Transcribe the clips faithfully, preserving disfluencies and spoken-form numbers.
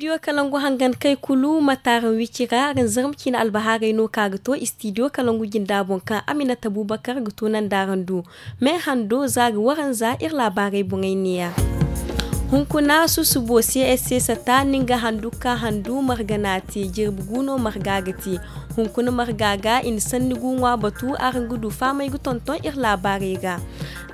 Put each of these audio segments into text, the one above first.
Studio kalangu hangan kay kulu ma taaraŋ wici ra araŋ zarma ciine albahaarey no ka ga to studio kalangu jinda boŋ kaŋ aminata bubakar ga to nanda araŋ du. Me hando za ga waranza iri laabaarey boŋey neeya. Hunkuna susubo csc sata nin ga handu ka handu marga na te jirbi guno marga ga te. Hunkuna marga ga i na sanni gu ŋwa batu araŋ ga du faamay ga tonton iri laabaarey ga.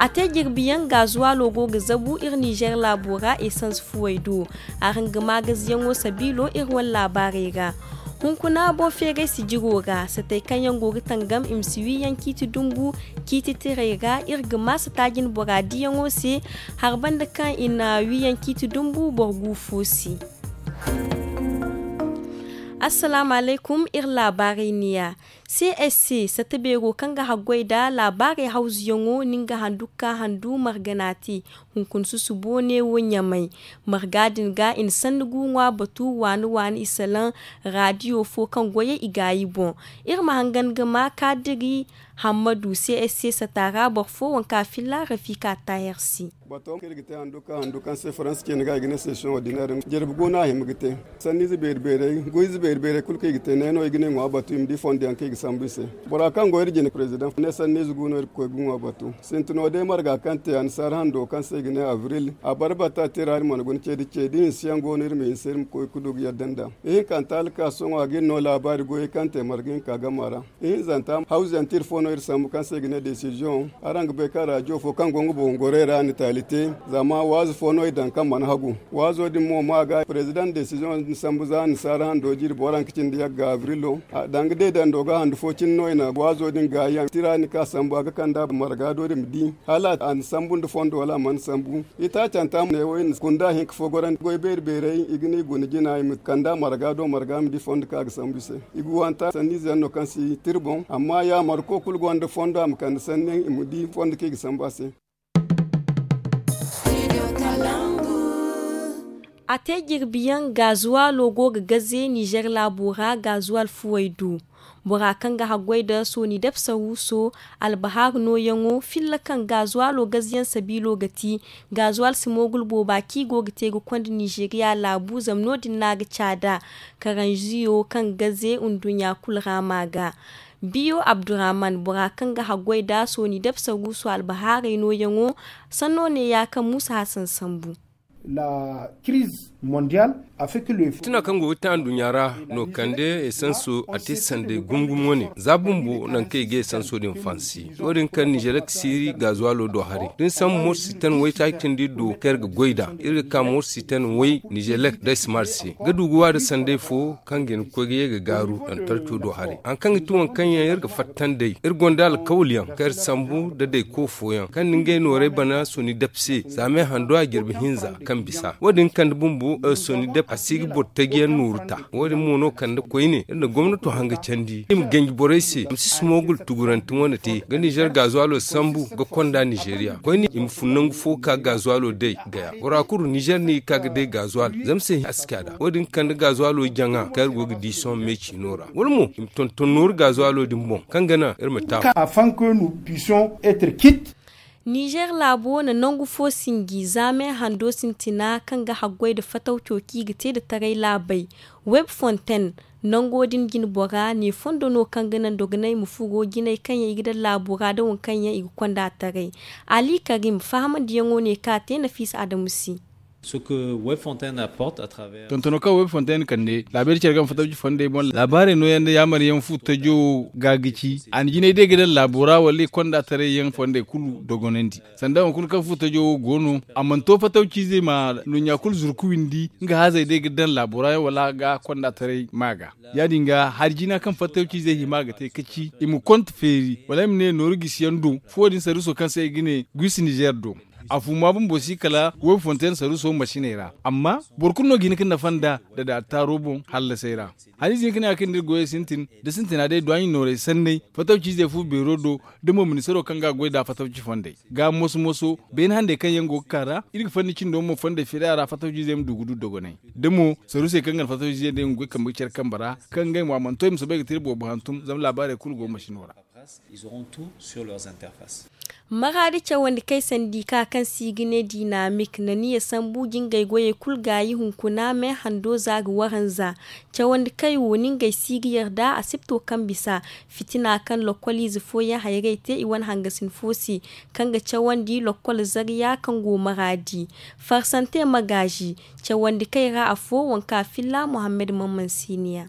A te jirbiyaŋ gaazuwaalo go ga zabu iri nizer laabo ra esans fuwey do. Araŋ ga maagaziyaŋo sabiilo iri wane laabaarey ra. Hunkuna boŋ feeray sijiro ra satey kaŋ yaŋ go ga tangam i ma si wiiyaŋ ciiti dumbu ciiti tirey ra iri ga ma sata jine bora diyaŋo se. Harbanda kaŋ i na wiiyaŋ ciiti dumbu boro gu fo se. Assalaamu alaykum iri laabaarey niya. Csc sata beero kaŋ ga haggoy nda laabaarey hawzuyaŋo nin ga handu ga ka handu marga na te. Hunkuna susubo neewo ɲamay marga din ga i na sanni gu ŋwa batu waani waani i salaŋ. Raadiyo fo kaŋ goyey i gaayi boŋ. Iri ma hangan ga ma kaadiri hammadu csc sata ra boro fo waŋ kaŋ a filla rafika taahir se. Bato kaŋ iri ga te handu ka handu kaŋ se faransa ceeni ga i ga ne session ordinaire. Jirbi go no a hima ga te. Sanniize beeri beerey goyze beeri beerey kulu kaŋ i ga te ne no i ga ne ŋwa batu i ma di fondo yaŋ kaŋ i ga sambu i se. Bora kaŋ go iri jine president ne sanniize gu no iri ga koy ga ŋwa batu. Sintino day marga kaŋ te annasaara hando kaŋ se i ga ne avril a bare bata tira iri mana guna ce da ce da hinse yaŋ go no iri ma hinse iri ma koy ga du ga yadda nd'a. Ihinkanta alkaaso ŋwa ga iri no laabaari goyey kaŋ te marga hinka gama ra. Ihinzanta hawzuyaŋ tira fo no iri sambu kaŋ se i ga ne desiziyoŋ. Araŋ ga bay kaŋ raadiyo fo kaŋ go nga boŋ gorey ra a na taali te. Zama waazu fo no i daŋ kaŋ mana hagu waazo din mo ma ga prezidaŋ desiziyoŋ din sambu za annasaara hando jiiri booraŋ ka cindi yagga abrilo. Danga deedando ga handu fo cine no i na waazo din gaayaŋ tira ni ka sambu a ga kand'a marga do din ma di hala a na sambu nda fondo wala a mana sambu. Itaacanta mo ne wo i na kunda hinka fo gorandi goy beeri beerey i ga ne i guna jina i ma kand'a marga do marga ma di fondo kaŋ a ga sambu i se. I ga wanta sanniize yaŋ no kaŋ si tira boŋ amma ya marko kulu gonda fondo a ma kande sanni yaŋ i ma di fondo kaŋ i ga sambu a se. A te jirbiyaŋ gaazuwaalo go ga gaze nizer laabo ra gaazuwaal fuwey du. Bora kaŋ ga haggoy nda sooni depsa wuuso albahaaru nooyaŋo filla kaŋ gaazuwaalo gazeyaŋ sabiilo ga ti. Gaazuwaal si moogul booba kaŋ i go ga te ga konda nizeriya laabu zama no- din no a ga caada. Karanziyo kaŋ gaze nduɲɲa kulu ra ma ga. Biyo abdurrahman bora kaŋ ga haggoy nda sooni depsa guuso albahaarey nooyaŋo. Sanno ne ya kaŋ muusa hasan sambu. Tuna kaŋ go ga te anduɲɲa ra no kande esanso a te sanday gumgum wane za bumbo nangu kaŋ i ga esanso din fansi. Wo- din kaŋ nizelek siiri gaazuwaalo do haray da ni sambu morsiten waytaaci kaŋ da iri do kaŋ iri ga goy nd'a iri ga ka morsiten way nizelek da smart se ga du ga wa nda sanday fo kaŋ ga hin ga koy ga ye ga gaaru lantarco do haray hari kaŋ ga ti waŋ kaŋ yaŋ iri ga fatta nd'ey iri gonda alkawal yaŋ kaŋ iri sambu nda dayko fooyaŋ kaŋ na ngey noorey bana soni dab se za me hando a jirbi hinza kaŋ bisa wo- din kande bumbo soni dab a si ga boro taji yaŋ nooru ta. Wo- din mo no kande koyne iri na gomnato hanga candi i ma ganji borey se a ma si sumogul tuguranti wane te ga nizer gaazuwalo sambu ga konda nizeriya koyne i ma fun nangu fo ka gaazuwalo day gaya bora kulu nizer no i ga ka ga day gaazuwal zama se a si ka da wo- din kande gaazuwalo jaŋa kaŋ iri go ga di sohõ me ciino ra wala mo i ma tonton nooru gaazuwalo din boŋ kaŋ ga naŋ iri ma taamu. Afin que nous puissions être quitte. Nizer laabo na nangu fo sinji za me hando sintina kaŋ ga haggoy nda fatawco kaŋ i ga te nda taray laabey. Web fontaine nango din jine bora ne fondo no kaŋ ga naŋ dogonay ma furo jinay kaŋ yaŋ i ga daŋ laabo ra nda waŋ kaŋ yaŋ i ga konda taray. Ali karim fahamandiyaŋo ne kaŋ a te nafiisa adamu se. Tontono kaŋ web fontaine kande laabeeri care ga ma fatawci fondey boŋ laabaarey nooyaŋ nda yaamar yaŋ fu tajo wo ga ga ci a na jinay day ga daŋ laabo ra wala i konda taray yaŋ fondey kulu dogonandi. Sanda waŋ kulu kaŋ fu tajo wo go no a mana to fatawciizey ma nduɲɲa kulu zuru ga windi nga haazey day ga daŋ laabo ra yaŋ wala ga konda taray ma ga. Ya- din ga hari jina kaŋ fatawciizey hima ga te ka ci i ma konte feeri wala ay ma ne nooru gisi yaŋ do fuwo din sarriso kaŋ se i ga ne guisi nizer do. A fuma bumbo si kala web fontaine sarriso masiney ra amma boro kulu no ga hin ga nafa nda dadaataaro boŋ hallasey ra. Hari ize hin ga ne a kaŋ nda iri goyey sintin da sintina day duwaaɲi noorey sanney fatawciizey fu beero do da mo ministaro kaŋ ga a goy nd'a fatawci fondey ga moso moso beene handey kaŋ yaŋ go ga ka ra iri ga fanni cindo mo fondey feeri a ra fatawciizey ma du ga du dogonay da mo sarrusey kaŋ ga na fatawciizey day nga goy kambe ga care kambe ra kaŋ ngey mo a mana to i ma soobay ga te iri boobo hantum zama laabaarey kulu go masino ra. Ils auront tout sur leurs interfaces. Maraadi cawandi kay sandi ka kaŋ se i ga ne dinamik na niya sambu jingay goyey kulu gaayi hunkuna me hando za ga waranza. Cawandi kay wo ni ngey si ga yarda a sipto kaŋ bisa fitina kaŋ lokkoliize fooyaŋ hayrey te i wane hangasin fo se kaŋ ga cawandi lokkol zarya kaŋ go maraadi. Farsante magaazi cawandi kay ra afo wanka filla muhammad mamman siniya.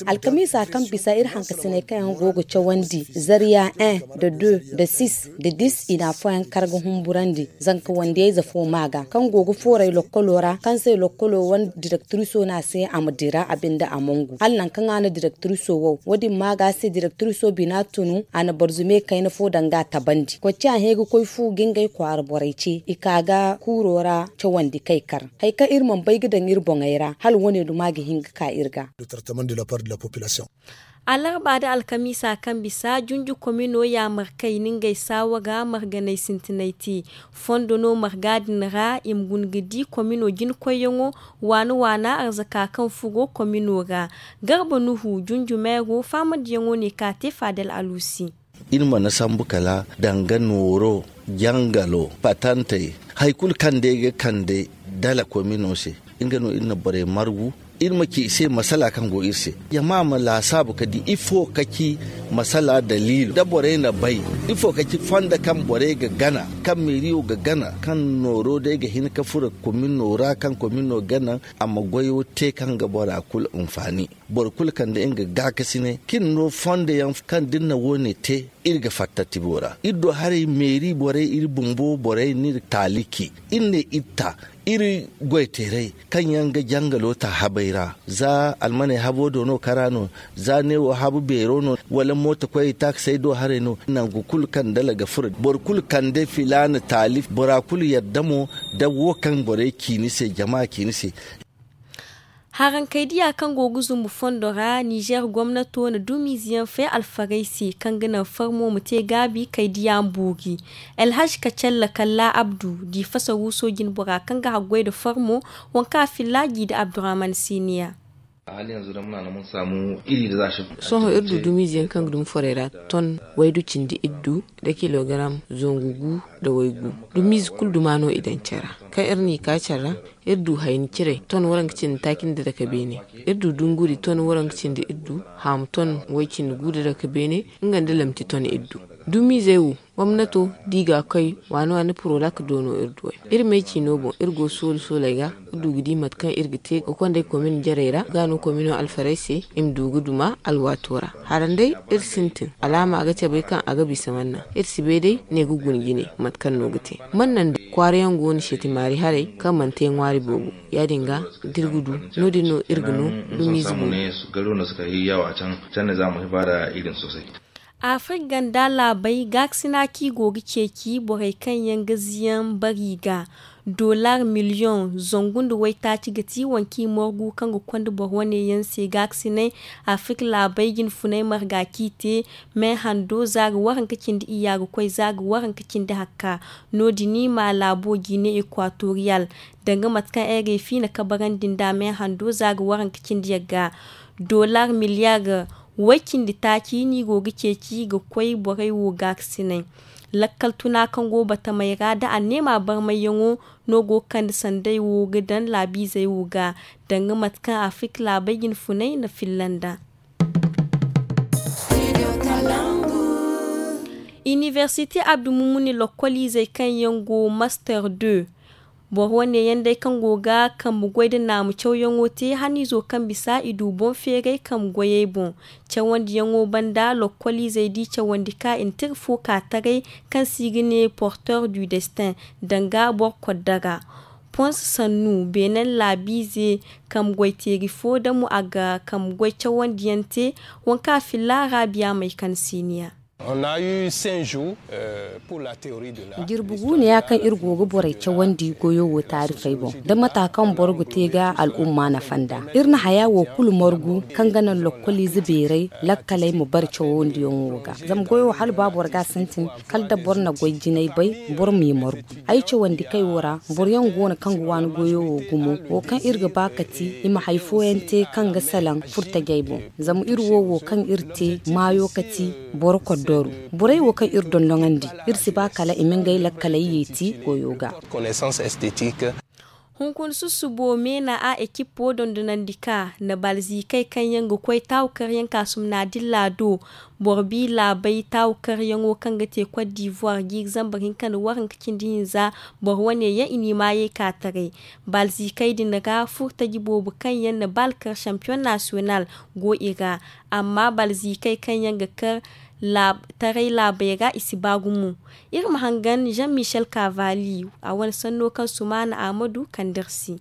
Alkamiisa kaŋ bisa iri hankasiney kaŋ yaŋ go ga cawandi zarya un da deux da six da dix i na afooyaŋ kar ga humburandi zanka wandiyayze fo ma ga kaŋ go ga fooray lokkolo ra kaŋ se lokkolo wane direktiriso no a se a ma dira a binde a mongu hala nangu kaŋ a na direktiriso wo wo- din ma ga a se direktiriso bina tunu a na barzume kayna fo danga a tabandi koy ci a hẽ ga koy fu ga ngey kwaara borey ce i ka ga kuuro ra cawandi kay kar. Hari kaŋ iri mana bay ga daŋ iri boŋey ra hala wo- ne duma ga hin ga ka iri ga. Alarba da alkamiisa kaŋ bisa junju komino yaamarkey na ngey saawa ga marganey sintinay te fondo no marga din ra i ma guna ga di komino jina koyyaŋo waana waana arzaka kaŋ furo komino ra. Garba nuhu junju meero faamandiyaŋo ne ka te faadal aluusi. Iri mana sambu kala danga nooro jangalo patantey hari kulu kaŋ day ga kande dala komino se. Nga no iri na borey margu iri ma ci i se masala kaŋ go iri se jama ma laasaabu ka di ifo ka ci masala daliilo da borey na bay ifo ka ci fondo kaŋ borey ga gana kaŋ meeriyo ga gana kaŋ nooro day ga hin ka furo komino ra kaŋ komino gana a ma goyo te kaŋ ga bora kulu hinfaani. Boro kulu kande nga gaakasinay kaŋ iri no fondo yaŋ kaŋ da iri na wo- ne te iri ga fatta tibo ra iri do haray meeri borey iri bumbo borey no iri taaliki iri ne iri ta iri goyteeray kaŋ yaŋ ga jangalo ta habey ra za almaney habo do no kara no za neewo habu beero no wala mooto koyey taakasey do haray no nangu kulu kaŋ dala ga furo boro kulu kande filaana taali bora kulu yadda mo da wo kaŋ borey ci ni se jama ci ni se. Harankaydiya kaŋ go ga zumbu fondo ra nizer gomnato na dumiize yaŋ fe alfarey se kaŋ ga naŋ farmo ma te gaabi kaydiya mbuuri. Elhaj kacalla kalla abdu di fasaruuso jinbora kaŋ ga haggoy nda farmo waŋ kaŋ a filla gi nda abdurahman siniya. Sohõ iri du dumiize yaŋ kaŋ ga dumi forey ra ton waydu cindi iddu nda kilogaram zangu gu nda waygu. Dumiize kulu duma no i daŋ care ra kaŋ iri n'i ka care ra. Iri du hayni ciray ton waranka cindi taaci nda dake beene. Iri du dunguri ton waranka cindi iri du haamu ton way cindi gu nda dake beene. Nga nda lamti ton iri du dumiizey wo gomnato da i ga a koy waani waani purolak do no iri duwey. Iri may ciino boŋ iri go soolu sooley ga iri du ga di mate kaŋ iri ga te ga konday komin jarey ra ga no komino alfarey se i ma du ga duma alwaato ra. Haranday iri sintin alaama ga cabay kaŋ a ga bisa manna iri si bay day ne ga guna jine mate kaŋ no ga te manna nda kwaara yaŋ go no seeti maari haray kaŋ mana te ŋwaari boobo. Ya- din ga da iri ga du no- din no iri ga no dumiize boobo. Afrik ganda laabey gaakasina kaŋ i go ga ceeci borey kaŋ yaŋ ga ziyaŋ bari ga. Dollar miliyoŋ zangu nda waytaaci ga ti waŋ kaŋ i morgu kaŋ ga konda boro wane yaŋ se gaakasinay. Afrik laabey jinfunay marga kaŋ i te me hando za ga waranka cindi iyya ga koy za ga waranka cindi hakka. No- din i ma laabo jine ekwatoriyal danga mate kaŋ ay ga ay fiina kabarandi nda me hando za ga waranka cindi yagga. Dollar miliyar way cindi taaci no i go ga ceeci ga koy borey wo gaakasinay. Lakkal tuna kaŋ go batamey ra nda anneema barmayyaŋo no go ga kande sanday wo ga daŋ laabiizey wo ga danga mate kaŋ afrik laabey jinfunay na filla nd'a. Iniversite abdu mumuni lokkoliizey kaŋ yaŋ go master deux. Boro wane yaŋ day kaŋ go ga kambe goy nda naamu cawyaŋo te haniizo kaŋ bisa i du boŋ feeray kambe goyey boŋ. Cawandiyaŋo banda lokkoliizey di cawandi ka i na tira fo ka taray kaŋ se i ga ne porteur du destin danga boro kodda ra. Pons sannu beenen laabiize kambe goy teeri fo damo a ga kambe goy cawandiyaŋ te. Waŋ kaŋ a filla raabiya may kande siiniya. Jirbi gu no ya kaŋ iri go ga borey cawandi goyo wo taarifey boŋ, da mata kaŋ boro ga te ga al'umma nafa nd'a. Iri na haya wo kulu margu kaŋ ga naŋ lokkoliize beeray lakkaley ma bare cawandiyaŋo ga. Zama goyo wo hala ba boro ga a sintin, kala da boro na goy jinay bay, boro m'i margu. Ay cawandikey wo ra, boro yaŋ go no kaŋ ga waani goyo wo gumo, wo kaŋ iri ga ba ka ti i ma hari fooyaŋ te kaŋ ga salaŋ furtajey boŋ. Zama iri wo wo kaŋ iri te maayo ka ti boro koddoru. Borey wo kaŋ iri dondonandi, iri si ba kala i ma ngey lakkaley yeeti goyo ga. Hunkuna susubo meena a ekippo dondonandi ka na balzikey kaŋ yaŋ ga koy taawu karyaŋ kaasum na dilla do. Boro bi laabey taawu karyaŋo kaŋ ga te kot divuwar jiiri zambar hinka nda waranka cindi hinza, boro wane yaŋ i n'i maayey ka taray. Balzikey din ra furtaji boobo kaŋ yaŋ na bal kar champion national go i ra. Amma balzikey kaŋ yaŋ ga kar taray laabey ra i si ba gumo. Iri ma hangan jean michel cavalli, a wane sanno kaŋ sumaana ahmadu kand'iri se.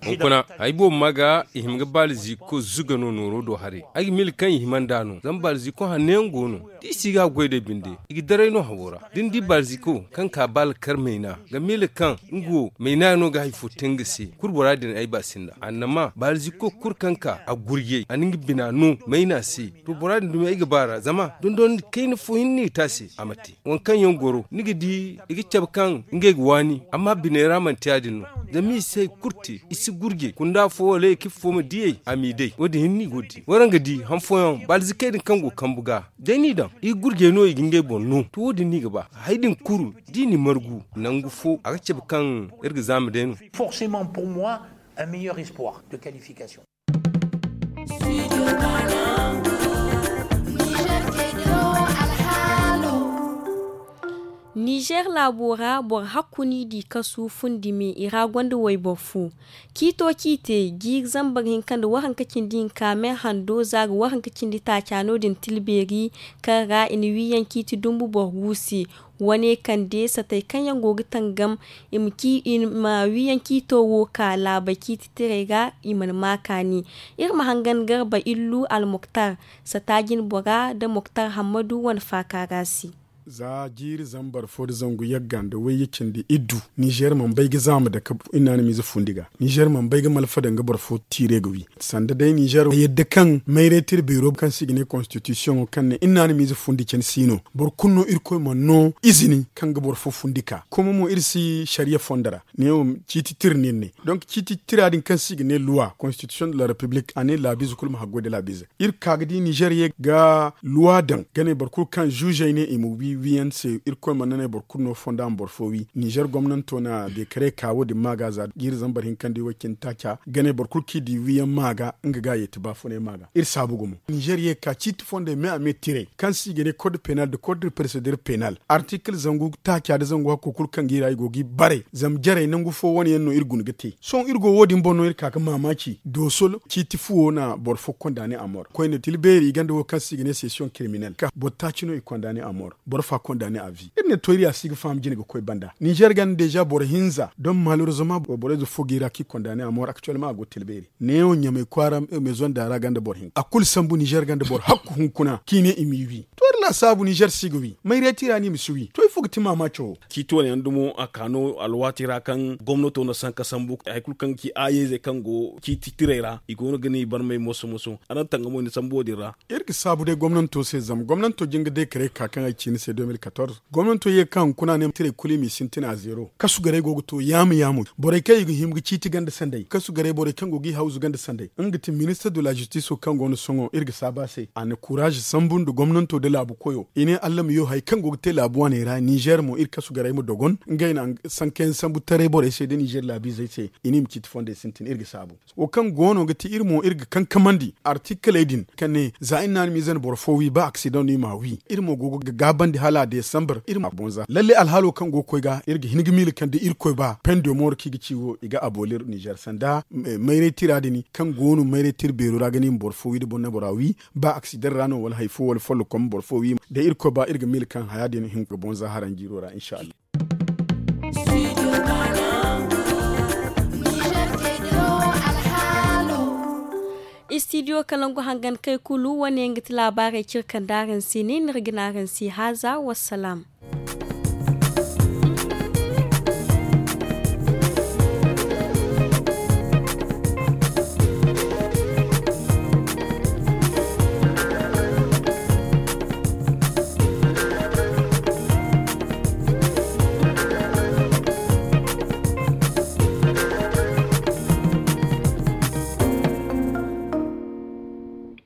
Hunkuna, hari boobo ma ga i hima ga balziko zuga no nooro do haray. Ay ga miila kaŋ i hima nd'a no zama balziko hanno yaŋ go no. Da i si ga a goy day binde, i ga daray no hawo ra. Da ni di balziko kaŋ ka bal kar mayna ga miila kaŋ nga wo mayna no ga hari fo te nga se. Kulu bora din ay ba sinda annama balziko kulu kaŋ ka a gurjay a na nga bina no mayna se. To bora din dumi ay ga ba ra zama dondon kayna fo hinne i te a se a ma te. Waŋ kaŋ yaŋ goro ni ga di i ga cabe kaŋ ngey ga waani amma biney ra manti ya- din no. Zama i si hari kulu te, i si gurje kunda fo wala ekip fo ma diyey a m'i day wo- din hinne i go ga di waraŋ ga di han fooyaŋ balzikey din kaŋ go kambu ga. Day n'i daŋ i ga gurje no i ga ngey boŋ no to wo- din no i ga ba. Hari din kulu da i n'i margu nangu fo a ga cabe kaŋ iri ga zaama day no. Nizer laabo ra boro hakku n'i di kasu fundi me i ra gonda wayboro fo. Ciito ciite jiiri zambar hinka nda waranka cindi hinka me hando za ga waranka cindi taaca no- din tilbeeri kaŋ ra i na wiiyaŋ ciiti dumbu boro gu se. Wane kande satey kaŋ yaŋ go ga tangam i ma wiiyaŋ ciito wo ka laabey ciiti tirey ra i mana ma kaani. Iri ma hangan garba illu almuktar sata jinbora nda muktar hammadu wane faaka ra se. Za jiiri zambar fo nda zangu yagga nda wayye cindi iddu nizer mana bay ga zaama dake iri naanamiize fundi ga. Nizer mana bay ga malfa daŋ ga boro fo tiire ga wi. Sanda day nizer yadda kaŋ mayray tira beero kaŋ se i ga ne konstitisiyoŋo kaŋ ne iri naanamiize fundi candi si no. Boro kulu no irkoy mana no izini kaŋ ga boro fo fundi ka kuma mo iri si sariya fondo ra. Ne wo ciiti tira no iri ne. Donk ciiti tira din kaŋ se i ga ne luwa konstitisiyoŋ de la repiblik a ne laabiize kulu ma haggoy nda laabiizey. Iri ka ga di nizer ye ga luwa daŋ ga ne boro kulu kaŋ zuuzey ne i ma wi wiiyaŋ se. Irkoy mana ne boro kulu no fonda ma boro fo wi. Nizer gomnanto na dekare ka wo- din ma ga za jiiri zambar hinka nda i way cindi taaca ga ne boro kulu kaŋ i di wiiyaŋ ma ga nga ga yeeti baafunay ma ga. Iri saabu gumo nizer ye ga ka ciiti fondey me a me tiray kaŋ se i ga ne kod penal nda kod prosedir penal artikil zangu taaca nda zangu hakko kulu kaŋ ga i ra i go ga i bare zama jarey nangu fo wane yaŋ no iri guna ga te. Sohõ iri go wo- din boŋ no iri ka ga maamaaci doosol ciiti fuwo na boro fo kondaane a mor koyne tilbeeri i ganda wo kaŋ se i ga ne sesiyoŋ kiriminel ka boro taaci no i kondaane a mor. Boro fa kondaane a vi iri ne to iri ya si ga faham jine ga koy banda nizer ganda deeza boro hinza don malerizoma borey ze fo ga i ra kaŋ i kondaane a mor aktuwelma a go tilbeeri. Neewo ɲamay kwaara meezonda ra ganda boro hinka a kulu sambu nizer ganda boro hakku hunkuna kaŋ i ne i m'i wi. To iri laasaabu nizer si ga wi mayreeti ra no i ma si wi to ifo ga ti maamaaco wo? Ciiti wane yaŋ dumo a ka no alwaati ra kaŋ gomnato na sanka sambu hari kulu kaŋ ga ci aayey zey kaŋ go ciiti tirey ra i go no ga ne i barmay moso moso araŋ tangamo i na sambu wo- din ra. Iri ga saabu day gomnanto se zama gomnanto jin ga day karay ka kaŋ ay ci ni se de mil katorze. Gomnanto ye ga ka hunkuna ne tirey kulu i m'i sintin a zeero kasu garay go ga to yaamo yaamo borey kaŋ i ga hima ga ciiti ganda sanday kasu garay borey kaŋ go ga i hawzu ganda sanday nga ga ti ministar de la zistiso kaŋ go no sohõ iri ga saabu a se a na kuraaze sambu nda gomnanto nda laabu koyo i ne allah ma yo hari kaŋ go ga te laabu waaney ra nizer mo iri kasu garay ma dogon ngey na sankayaŋ sambu taray borey se nda nizer laabiizey se i ne i ma ciiti fondey sintin iri ga saabu. Wo kaŋ go no ga ti iri mo iri ga kankamandi artikaley din ka ne za iri naanamiize na boro fo wi ba aksidaŋ no i m'a wi iri mo go ga gaabandi hala desambar iri ma boŋ za lalle alhaalo kaŋ go ga koy ga iri ga hin ga miila kaŋ da irkoy ba pendo mooro kaŋ i ga ci wo i ga abolir nizer sanda mayray tira din kaŋ go no mayray tira beero ra ga ne i ma boro fo wi da boro na bora wi ba aksidaŋ ra no wala hari fo wala follokom boro fo wi da irkoy ba iri ga miila kaŋ haya din hin ga boŋ za haranjiiro ra inshallah. Stidiyo kalangu hangan kay kulu wane nga ti laabaarey cire kaŋ da araŋ si ne ni ra gina araŋ si haaza. Wassalaam.